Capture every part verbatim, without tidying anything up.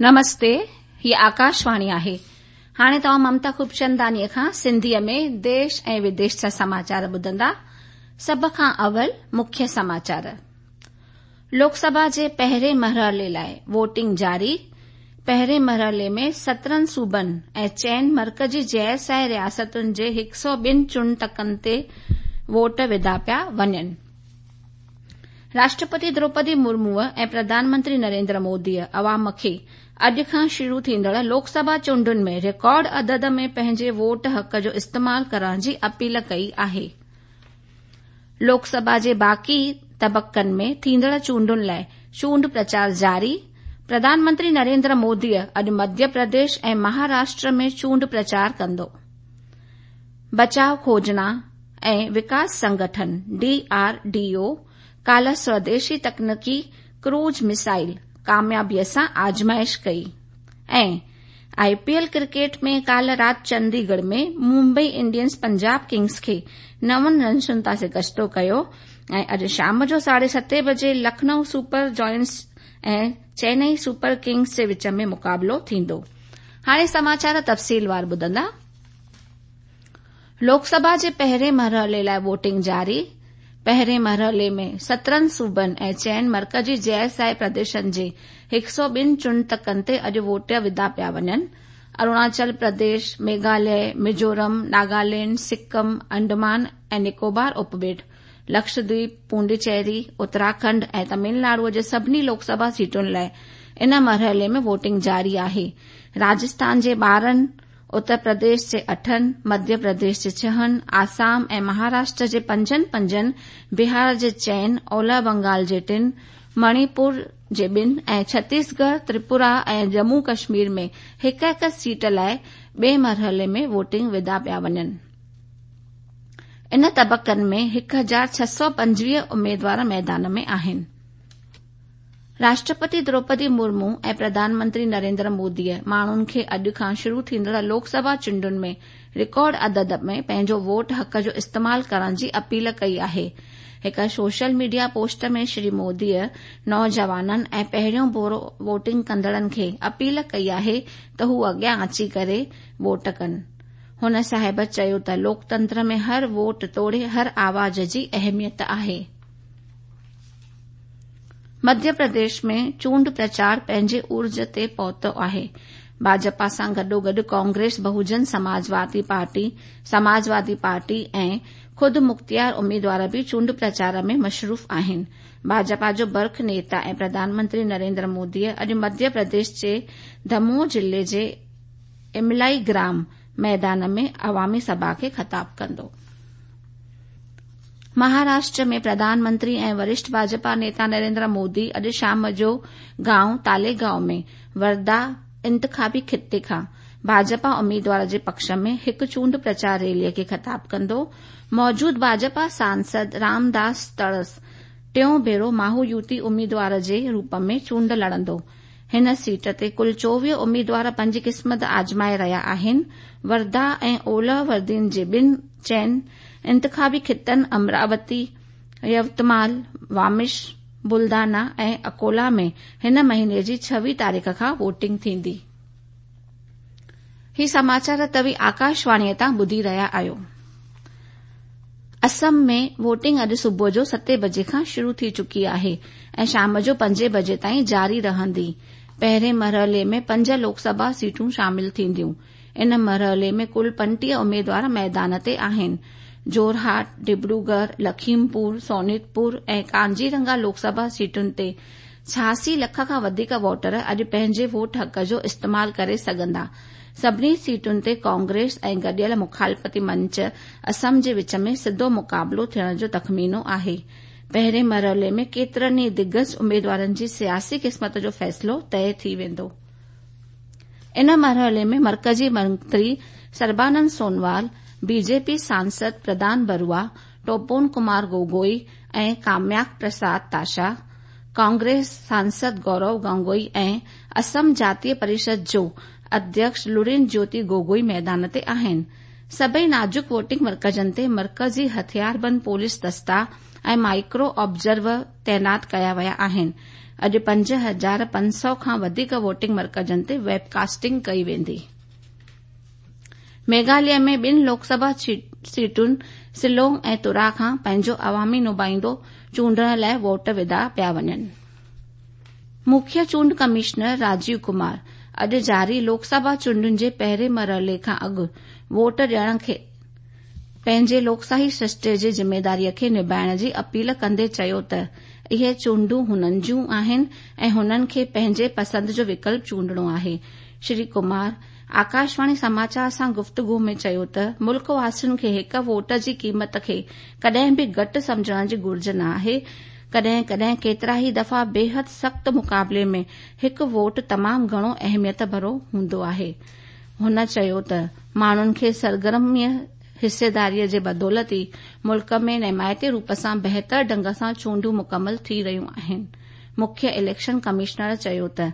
نمستي، هي آڪاشواڻي آهي. هاڻي توهان ممتا خوبچنداڻيء کان سنڌيء ۾ ديش ۽ وديش جا سماچار ٻڌندا. سڀ کان اول مکيه سماچار. لوڪ سڀا جي پهرين مرحلي لاءِ ووٽنگ جاري. پهرين مرحلي ۾ سترهن صوبن ۽ چئن مرڪزي غير شاهي رياستن جي هڪ سؤ ٻن چونڊ تڪن تي ووٽ وڌا پيا وڃن. راشٽرپتي دروپدي مرموءَ ۽ پرڌان منتري نريندر موديءَ عوام کي اڄ کان شروع ٿيندڙ لوڪ سڀا چونڊن ۾ رڪارڊ عدد ۾ پنهنجي ووٽ حق جو استعمال ڪرڻ جي اپيل ڪئي آهي. لوڪ سڀا جي باقي طبقن ۾ ٿيندڙ چونڊن لاءِ چونڊ پرچار جاري. پرڌان منتري نريندر مودي اڄ مڌيه پرديش ۽ مهاراشٽر ۾ چونڊ پرچار ڪندو. بچاءُ کوجنا ۽ وڪاس سنگٺن ڊي آر ڊي او ڪالهه سوديشي تڪنيڪي ڪروز ميزائل ڪاميابيءَ سان آزمائش ڪئي ۽ آءِ پي ايل ڪرڪيٽ ۾ ڪالهه رات چنديڳڙهه ۾ ممبئي انڊينز پنجاب ڪنگز کي نون رنسن تان شڪستو ڪيو ۽ اڄ شام جو ساڍي ستين بجي Lucknow super giants ۽ Chennai super Kings جي وچ ۾ مقابلو ٿيندو. هاڻي سماچار تفصيلوار ٻڌندا. لوڪ سڀا جي پهرين مرحلي لاءِ ووٽنگ جاري. پهرين مرحلي ۾ سترهن صوبن ۽ چئن مرڪزي غير شاهي پرديشن جي هڪ سؤ ٻن چونڊ تڪن تي اڄ ووٽ وڌا پيا وڃن. اروناچل پرديش، ميگهاليه، ميزورم، ناگالينڊ، سڪم، انڊمان ۽ نڪوبار اپٻيٽ، لڪشدويپ، پونڊيچيري، اتراکنڊ ۽ تامل ناڊوءَ جي سڀني لوڪ سڀا سيٽن لاءِ ان مرحلي ۾ ووٽنگ جاري آهي. راجسٿان جي ٻارهن، اتر پرديش جي اٺن، مڌيه پرديش جي ڇهن، آسام ۽ مهاراشٽر جي پنجن پنجن، بهار جي چئن، اولهه بنگال جي ٽن، مڻيپور جي ٻن ۽ ڇتيسڳڙهه، تريپورا ۽ ڄمون ڪشمير ۾ هڪ هڪ سيٽ لاءِ ٻئي مرحلي ۾ ووٽنگ وڌا پيا وڃن. ان طبقن ۾ هڪ هزار ڇهه سؤ پنجويهه اميدوار ميدان ۾ آهن. راشٽرپتي دروپدي مرمو ۽ پرڌان منتري نريندر موديءَ ماڻهن کي اڄ کان شروع ٿيندڙ لوڪ سڀا چونڊن ۾ رڪارڊ عدد ۾ پنهنجو ووٽ حق جو استعمال ڪرڻ جي اپيل ڪئي آهي. هڪ سوشل ميڊيا پوسٽ ۾ شري موديءَ نوجوانن ۽ پهريون ڀيرو ووٽنگ ڪندڙن کي اپيل ڪئي آهي ته هو اڳيان اچي ڪري ووٽ ڪن. هن صاحب چيو ته لوڪتنتر ۾ هر ووٽ توڙي هر آواز جي اهميت آهي. مڌيه پرديش ۾ چونڊ پرچار پنهنجي عروج تي پهتو آهي. ڀاجپا سان گڏوگڏ ڪانگريس، بهوجن سماجوادي پارٽي، سماجوادي پارٽي ۽ خود مختيار اميدوار به چونڊ پرچار ۾ مصروف آهن. ڀاجپا جو برک نيتا ۽ پرڌان منتري نريندر مودي اڄ مڌيه پرديش جي دموهه ضلعي جي املائي گرام ميدان ۾ عوامي سڀا کي خطاب ڪندو. مهاراشٽر ۾ پرڌان منتري ۽ ورشٺ ڀاجپا نيتا نريندر مودي اڄ شام جو گائون تاليگائون ۾ ورڌا انتخابي خطي کان ڀاجپا اميدوار جي پڪش ۾ هڪ چونڊ پرچار ريليءَ کي خطاب ڪندو. موجود ڀاجپا سانسد رامداس تڙس ٽيون ڀيرو مهايوتي اميدوار جي روپ ۾ چونڊ لڙندو. هن سيٽ تي ڪل چوويهه اميدوار پنهنجي قسمت آزمائي رهيا آهن. ورڌا ۽ اولهه وردين جي ٻن چئن انتخابي خطن امراوتي، يوتمال، وامش، بلدانا ۽ اڪولا ۾ هن مهيني جي ڇويهه تاريخ کان ووٽنگ ٿيندي. هي سماچار توهين آڪاشواڻيءَ تان ٻڌي رهيا آهيو. اسم ۾ ووٽنگ اڄ صبح جو ستين بجي کان شروع ٿي چڪي آهي ۽ شام جو پنجين بجي تائين جاري رهندي. پهرين مرحلي ۾ پنج لوڪ سڀا سيٽون شامل ٿينديون. ان مرحلي ۾ ڪل پنٽيهه اميدوار ميدان تي آهن. جورهاٽ، ڊبروڳڙهه، لکيمپور، سونتپور ۽ ڪازيرنگا لوڪ سڀا سيٽن تي ڇهاسي لک کان وڌيڪ ووٽر اڄ پنهنجي ووٽ حق جو استعمال ڪري سگهندا. سڀني سيٽن تي ڪانگريس ۽ گڏيل مخالفتي منچ اسم جي وچ ۾ سڌو مقابلو ٿيڻ جو تخمينو آهي. پهرين مرحلي ۾ ڪيترن ئي دگج اميدوارن جي سياسي قسمت جو فيصلو طئي ٿي ويندو. ان مرحلي ۾ مرڪزي منتري سربانند سونوال، بي جي پي سانسد پردان بروا، ٽوپون ڪمار گوگوئي ۽ ڪامياڪ پرساد تاشا، ڪانگريس سانسد گورو گانگوئي ۽ اسم جاتيه پريشد جو اڌيڪش لرين جيوتي گوگوئي ميدان تي آهن. سڀئي نازڪ ووٽنگ مرڪزن تي مرڪزي هٿياربند پوليس دستا ۽ مائيڪرو آبزرور تعينات ڪيا ويا آهن. اڄ پنج هزار پنج سؤ کان وڌيڪ ووٽنگ مرڪزن تي ويب ڪاسٽنگ ڪئي ويندي. ميگهاليه ۾ ٻن لوڪسڀا سيٽن شيلانگ ۽ تورا کان پنهنجو عوامي نمائندو چونڊڻ لاءِ ووٽ وڌا پيا وڃن. مکيه چونڊ ڪمشنر راجيو ڪمار اڄ جاري لوڪسڀا چونڊن جي پهرين مرحلي کان اڳ ووٽ ڏيڻ کي پنهنجي لوڪشاهي سرشتي جي ذميداريء کي نڀائڻ جي اپيل ڪندي چيو ته اهي چونڊون هنن جون آهن ۽ هنن کي پنهنجي پسند جو وڪلپ چونڊڻو آهي. شري ڪمار آڪاشواڻي سماچار سان گفتگو ۾ چيو ته ملڪ واسين کي هڪ ووٽ جي قيمت کي ڪڏهن به گهٽ سمجهڻ جي گهرج نه آهي. ڪڏهن ڪڏهن ڪيترا ئي دفعا بيحد سخت مقابلي ۾ هڪ ووٽ تمام گهڻو اهميت ڀرو هوندو آهي. هن چيو ته ماڻهن کي سرگرم حصيداريء جي بدولت ئي ملڪ ۾ نمايتي روپ سان بهتر ڍنگ سان چونڊون مڪمل ٿي رهيون آهن. مکيه اليڪشن ڪمشنر چيو ته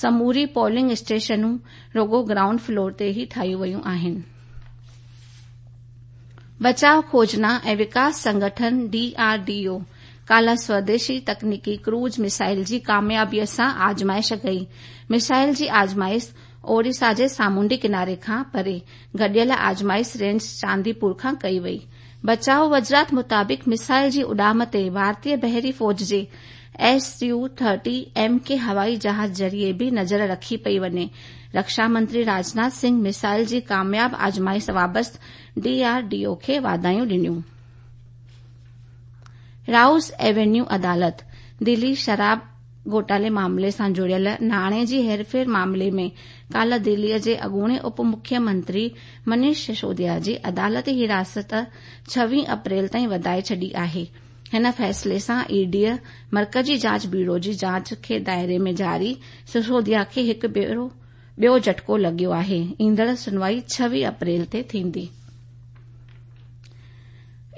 سموري پولنگ اسٽيشنون رڳو گرائونڊ فلور تي ئي ٺاهيون ويون آهن. بچاء کوجنا ۽ وڪاس سنگٺن ڊي آر ڊي او ڪالهه سوديشي تڪنيڪي ڪروز ميزائل جي ڪاميابيءَ سان آزمائش ڪئي. ميزائل جي آزمائش اوڙيسا جي سامونڊي ڪناري کان پري گڏيل آزمائش رينج چانديپور کان ڪئي وئي. بچاء وزارت مطابق ميزائل جي اڏام تي ڀارتيه بحري فوج جي S U thirty M K هوائي جهاز ذريعي به نظر رکي پئي وڃي. رڪشا منتري راجناٿ سنگهه ميزائل جي ڪامياب آزمائش بابت ڊي آر ڊي او کي واڌايون ڏنيون. رائوز ايونيو عدالت دلي شراب گهوٽالي معاملي سان جڙيل ناڻي جي هيرڦير معاملي ۾ ڪالهه دليءَ جي اڳوڻي اپ مکيه منتري منيش سسوديا جي عدالتي حراست ڇويهه اپريل تائين وڌائي ڇڏي آهي. هن فيصلي سان اي ڊي مرڪزي جاچ بيورو جي جاچ کي دائري ۾ جاري سسوديا کي هڪ ٻيو جهٽڪو لڳيو آهي. ايندڙ شنوائي ڇويهه اپريل تي ٿيندي.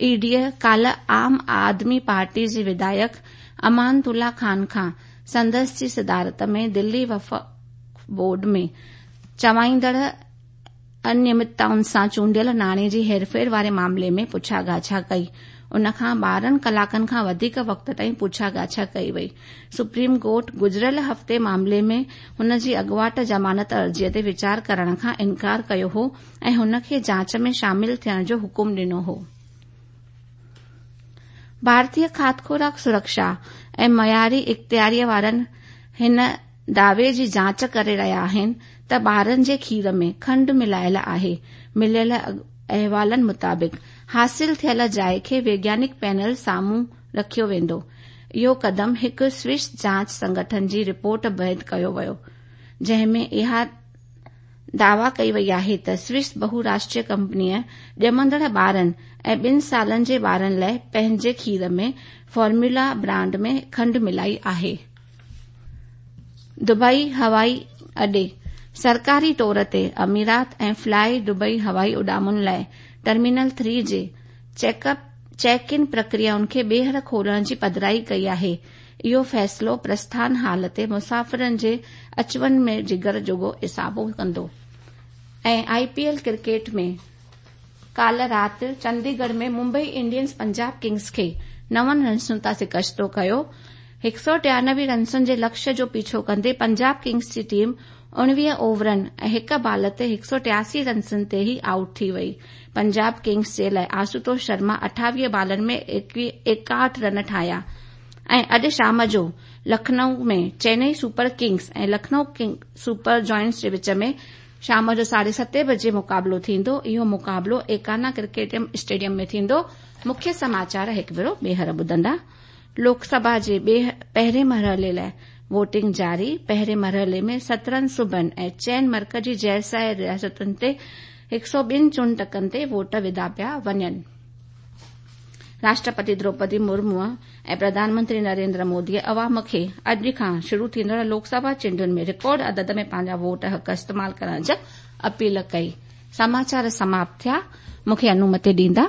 اي ڊي ڪالهه عام آدمي پارٽي جي وڌايڪ امان الله خان کان سندس جي صدارت ۾ دلي وقف بورڊ ۾ چوائيندڙ انيمتائن سان چونڊيل ناڻي جي هيرڦير واري معاملي ۾ پڇا ڳاڇا ڪئي. ان کان ٻارهن ڪلاڪن کان وڌيڪ وقت تائين پڇا ڳاڇا ڪئي وئي. سپريم ڪورٽ گذريل هفتي معاملي ۾ هن جي اڳواٽ ضمانت عرضيءَ تي ويچار ڪرڻ کان انڪار ڪيو هو ۽ هن کي جاچ ۾ شامل ٿيڻ جو حڪم ڏنو هو. ڀارتيه کاڌ خوراڪ سرڪشا ۽ معياري اختياريءَ وارن هن دعوي جي جاچ ڪري رهيا آهن ته ٻارن جي کير ۾ کنڊ ملايل آهي. مليل احوالن مطابق حاصل ٿيل جاءِ کي ويگيانڪ پينل سامهون رکيو ويندو. اهو قدم هڪ سوئس جاچ سنگٺن جي رپورٽ بعد ڪيو ويو، جنهن ۾ اها دعويٰ ڪئي وئي آهي ته سوئس بهوراشٽريه ڪمپنيءَ ڄمندڙ ٻارن ۽ ٻن سالن جي ٻارن لاءِ پنهنجي کير ۾ فارمولا برانڊ ۾ کنڊ ملائي آهي. دبئي هوائي اڏي سرڪاري طور تي اميرات ۽ فلائي دبئي هوائي اڏامن لاءِ ٽرمينل ٿري جي چيڪ ان پرڪريائن کي ٻيهر کولڻ جي پڌرائي ڪئي آهي. اهو فيصلو پرسٿان هال تي مسافرن جي اچ وڃ ۾ جگر جوڳو اضافو ڪندو. ۽ I P L cricket ۾ ڪالهه رات چنديڳڙهه ۾ ممبئي انڊينز پنجاب ڪنگز کي نون رنسن تان شڪست ڪيو. هڪ سؤ ٽيانوي رنسن جي لڪشيه جو پيڇو ڪندي پنجاب ڪنگز جي ٽيم اڻويهه اوورن ۽ هڪ بال تي هڪ سؤ ٽياسي رنسن تي ئي آئوٽ ٿي وئي. پنجاب ڪنگز جي لاءِ آشوتوش شرما اٺاويهه بالن ۾ ايڪهٺ رن ٺاهيا. ۽ اڄ شام جو Lucknow ۾ Chennai super Kings ۽ Lucknow super giants جي وچ ۾ شام جو ساڍي ستين بجي مقابلو ٿيندو. اهو مقابلو ايڪانا ڪرڪيٽ اسٽيڊيم ۾ ٿيندو. مکيه سماچار هڪ ڀيرو ٻيهر ٻڌندا. لوڪسڀا جي پهرين مرحلي لاءِ ووٽنگ جاري. پهرين مرحلي ۾ سترهن صوبن ۽ چئن مرڪزي زيرسايه رياستن تي هڪ سؤ ٻن چونڊ تڪن تي ووٽ وڌا پيا وڃن. راشٽرپتي دروپدي مرمو ۽ پرڌان منتري نريندر موديءَ عوام کي اڄ کان شروع ٿيندڙ لوڪسڀا چونڊن ۾ رڪارڊ عدد ۾ پنهنجا ووٽ حق استعمال ڪرڻ جي اپيل ڪئي. سماچار سماپت ٿيا. مون کي انومتي ڏيندا.